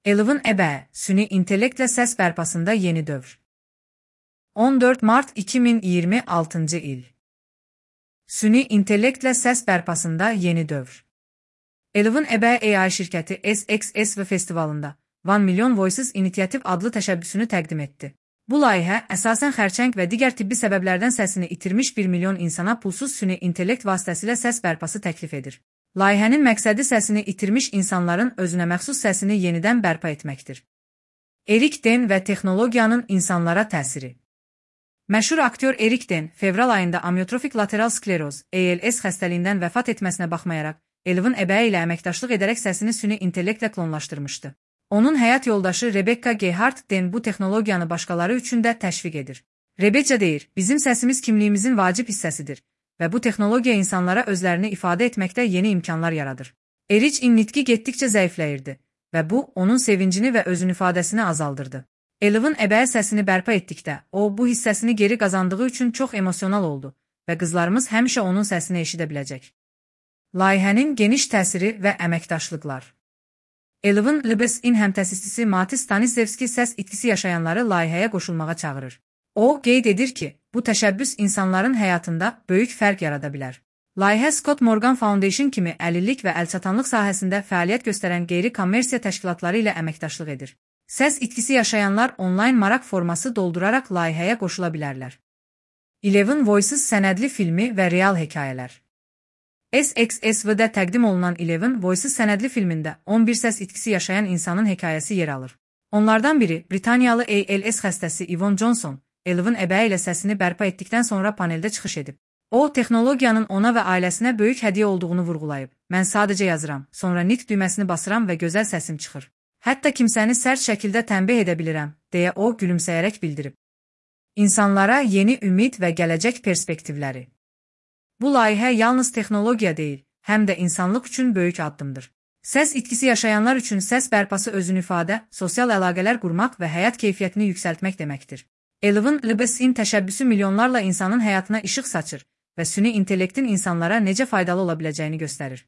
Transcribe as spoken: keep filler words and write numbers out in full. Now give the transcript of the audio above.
Elvin Ebe, süni intellektlə səs bərpasında yeni dövr. on dörd mart iki min iyirmi altıncı il. Süni intellektlə səs bərpasında yeni dövr. Elvin Ebe A I şirkəti S X S V festivalında One Million Voices İnisiativ adlı təşəbbüsünü təqdim etdi. Bu layihə əsasən xərçəng və digər tibbi səbəblərdən səsini itirmiş bir milyon insana pulsuz süni intellekt vasitəsilə səs bərpası təklif edir. Layihənin məqsədi səsini itirmiş insanların özünə məxsus səsini yenidən bərpa etməkdir. Erik Den və texnologiyanın insanlara təsiri. Məşhur aktyor Erik Den, fevral ayında amyotrofik lateral skleroz A L S xəstəliyindən vəfat etməsinə baxmayaraq, Elvin Ebe ilə əməkdaşlıq edərək səsini süni intellektlə klonlaşdırmışdı. Onun həyat yoldaşı Rebecca Gehart Den bu texnologiyanı başqaları üçün də təşviq edir. Rebecca deyir, bizim səsimiz kimliyimizin vacib hissəsidir və bu texnologiya insanlara özlərini ifadə etməkdə yeni imkanlar yaradır. Eric'in nitqi getdikcə zəifləyirdi və bu, onun sevincini və özün ifadəsini azaldırdı. Elvin Ebe səsini bərpa etdikdə, o, bu hissəsini geri qazandığı üçün çox emosional oldu və qızlarımız həmişə onun səsini eşidə biləcək. Layihənin geniş təsiri və əməkdaşlıqlar. Elvin Ebe-in həmtəsisçisi Mati Stanislavski səs itkisi yaşayanları layihəyə qoşulmağa çağırır. O, qeyd edir ki, bu təşəbbüs insanların həyatında böyük fərq yarada bilər. Layihə Scott Morgan Foundation kimi əlillik və əlçatanlıq sahəsində fəaliyyət göstərən qeyri-kommersiya təşkilatları ilə əməkdaşlıq edir. Səs itkisi yaşayanlar onlayn maraq forması dolduraraq layihəyə qoşula bilərlər. Eleven Voices sənədli filmi və real hekayələr. S X S V-də təqdim olunan Eleven Voices sənədli filmində on bir səs itkisi yaşayan insanın hekayəsi yer alır. Onlardan biri, Britaniyalı A L S xəstəsi Yvonne Johnson, Elvin Ebe ilə səsini bərpa etdikdən sonra paneldə çıxış edib. O, texnologiyanın ona və ailəsinə böyük hədiyyə olduğunu vurğulayıb. Mən sadəcə yazıram, sonra nitq düyməsini basıram və gözəl səsim çıxır. Hətta kimsəni sərt şəkildə tənbih edə bilirəm, deyə o gülümsəyərək bildirib. İnsanlara yeni ümid və gələcək perspektivləri. Bu layihə yalnız texnologiya deyil, həm də insanlıq üçün böyük addımdır. Səs itkisi yaşayanlar üçün səs bərpası özün ifadə, sosial əlaqələr qurmaq və həyat keyfiyyətini yüksəltmək deməkdir. Elvin Ebe-in təşəbbüsü milyonlarla insanın həyatına işıq saçır və süni intellektin insanlara necə faydalı ola biləcəyini göstərir.